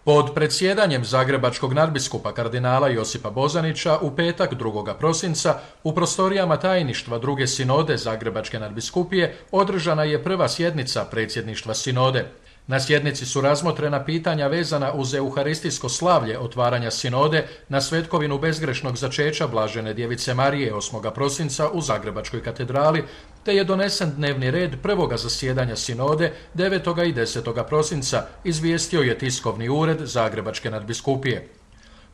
Pod predsjedanjem zagrebačkog nadbiskupa kardinala Josipa Bozanića u petak 2. prosinca u prostorijama tajništva druge sinode Zagrebačke nadbiskupije održana je prva sjednica predsjedništva sinode. Na sjednici su razmotrena pitanja vezana uz euharistijsko slavlje otvaranja sinode na svetkovinu bezgrešnog začeća Blažene djevice Marije 8. prosinca u Zagrebačkoj katedrali, te je donesen dnevni red prvoga zasjedanja sinode 9. i 10. prosinca, izvijestio je tiskovni ured Zagrebačke nadbiskupije.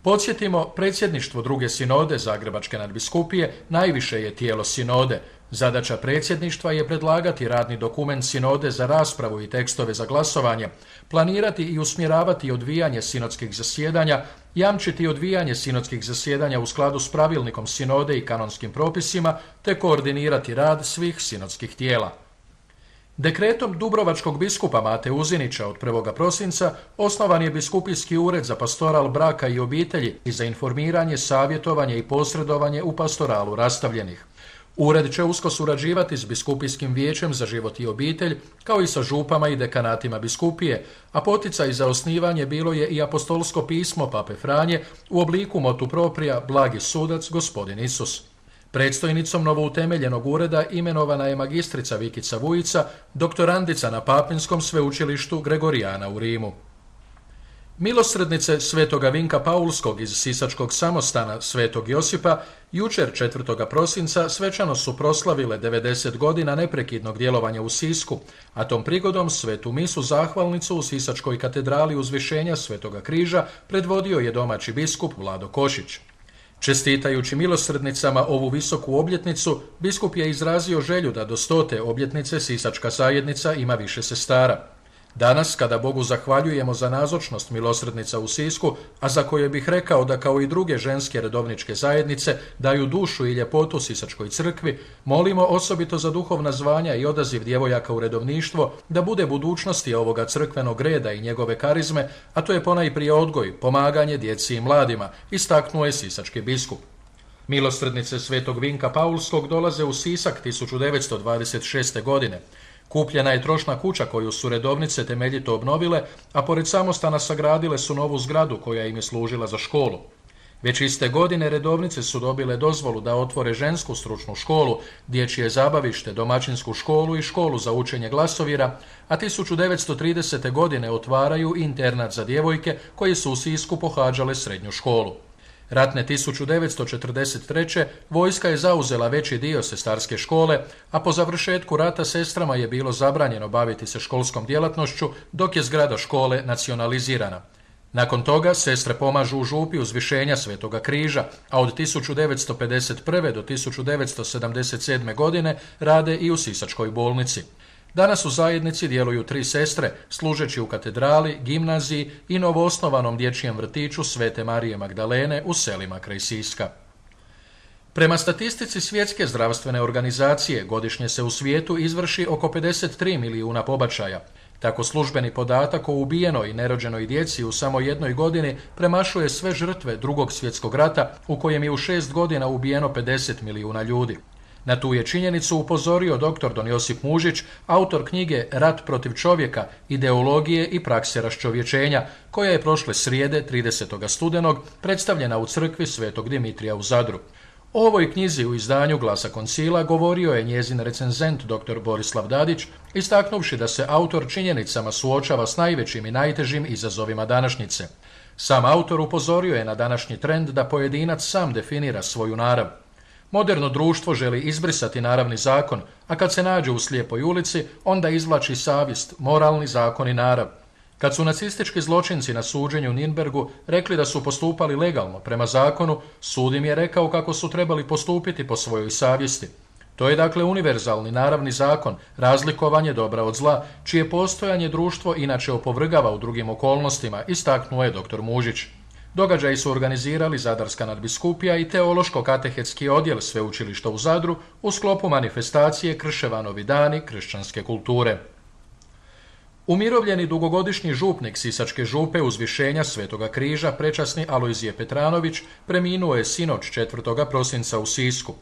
Podsjetimo, predsjedništvo druge sinode Zagrebačke nadbiskupije najviše je tijelo sinode. Zadaća predsjedništva je predlagati radni dokument sinode za raspravu i tekstove za glasovanje, planirati i usmjeravati odvijanje sinodskih zasjedanja, jamčiti odvijanje sinodskih zasjedanja u skladu s pravilnikom sinode i kanonskim propisima, te koordinirati rad svih sinodskih tijela. Dekretom dubrovačkog biskupa Mate Uzinića od 1. prosinca osnovan je biskupijski ured za pastoral braka i obitelji i za informiranje, savjetovanje i posredovanje u pastoralu rastavljenih. Ured će usko surađivati s biskupijskim vijećem za život i obitelj, kao i sa župama i dekanatima biskupije, a poticaj za osnivanje bilo je i apostolsko pismo Pape Franje u obliku motu propria Blagi sudac gospodin Isus. Predstojnicom novoutemeljenog ureda imenovana je magistrica Vikica Vujica, doktorandica na Papinskom sveučilištu Gregorijana u Rimu. Milosrdnice Svetoga Vinka Paulskog iz Sisačkog samostana Svetog Josipa jučer 4. prosinca svečano su proslavile 90 godina neprekidnog djelovanja u Sisku, a tom prigodom svetu misu zahvalnicu u Sisačkoj katedrali Uzvišenja Svetoga križa predvodio je domaći biskup Vlado Košić. Čestitajući milosrdnicama ovu visoku obljetnicu, biskup je izrazio želju da do 100. obljetnice Sisačka zajednica ima više sestara. Danas, kada Bogu zahvaljujemo za nazočnost milosrdnica u Sisku, a za koje bih rekao da kao i druge ženske redovničke zajednice daju dušu i ljepotu Sisačkoj crkvi, molimo osobito za duhovna zvanja i odaziv djevojaka u redovništvo da bude budućnosti ovoga crkvenog reda i njegove karizme, a to je ponajprije odgoj, pomaganje djeci i mladima, istaknuo je sisački biskup. Milosrdnice Svetog Vinka Paulskog dolaze u Sisak 1926. godine. Kupljena je trošna kuća koju su redovnice temeljito obnovile, a pored samostana sagradile su novu zgradu koja im je služila za školu. Već iste godine redovnice su dobile dozvolu da otvore žensku stručnu školu, dječje zabavište, domaćinsku školu i školu za učenje glasovira, a 1930. godine otvaraju internat za djevojke koje su u Sisku pohađale srednju školu. Ratne 1943. vojska je zauzela veći dio sestarske škole, a po završetku rata sestrama je bilo zabranjeno baviti se školskom djelatnošću, dok je zgrada škole nacionalizirana. Nakon toga sestre pomažu u župi Uzvišenja Svetoga križa, a od 1951. do 1977. godine rade i u Sisačkoj bolnici. Danas u zajednici djeluju 3 sestre, služeći u katedrali, gimnaziji i novoosnovanom dječjem vrtiću Svete Marije Magdalene u selima kraj Siska. Prema statistici Svjetske zdravstvene organizacije, godišnje se u svijetu izvrši oko 53 milijuna pobačaja. Tako službeni podatak o ubijenoj i nerođenoj djeci u samo jednoj godini premašuje sve žrtve Drugog svjetskog rata, u kojem je u 6 godina ubijeno 50 milijuna ljudi. Na tu je činjenicu upozorio dr. don Josip Mužić, autor knjige Rat protiv čovjeka, ideologije i prakse raščovječenja, koja je prošle srijede 30. studenog predstavljena u crkvi Svetog Dimitrija u Zadru. O ovoj knjizi u izdanju Glasa koncila govorio je njezin recenzent dr. Borislav Dadić, istaknuvši da se autor činjenicama suočava s najvećim i najtežim izazovima današnjice. Sam autor upozorio je na današnji trend da pojedinac sam definira svoju narav. Moderno društvo želi izbrisati naravni zakon, a kad se nađe u slijepoj ulici, onda izvlači savjest, moralni zakon i narav. Kad su nacistički zločinci na suđenju u Nürnbergu rekli da su postupali legalno prema zakonu, sud im je rekao kako su trebali postupiti po svojoj savjesti. To je dakle univerzalni naravni zakon, razlikovanje dobra od zla, čije postojanje društvo inače opovrgava u drugim okolnostima, istaknuo je dr. Mužić. Događaji su organizirali Zadarska nadbiskupija i Teološko-katehetski odjel sveučilišta u Zadru u sklopu manifestacije Krševanovi dani kršćanske kulture. Umirovljeni dugogodišnji župnik Sisačke župe Uzvišenja Svetoga križa, prečasni Alojzije Petranović, preminuo je sinoć 4. prosinca u Sisku.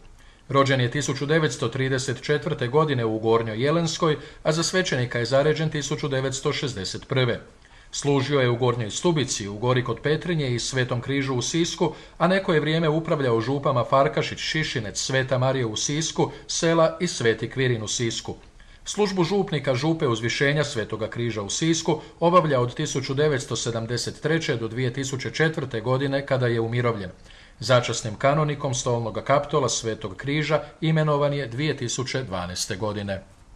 Rođen je 1934. godine u Gornjoj Jelenskoj, a za svećenika je zaređen 1961. Služio je u Gornjoj Stubici, u Gori kod Petrinje i Svetom Križu u Sisku, a neko je vrijeme upravljao župama Farkašić, Šišinec, Sveta Marija u Sisku, Sela i Sveti Kvirin u Sisku. Službu župnika župe Uzvišenja Svetoga Križa u Sisku obavlja od 1973. do 2004. godine kada je umirovljen. Začasnim kanonikom Stolnoga Kaptola Svetog Križa imenovan je 2012. godine.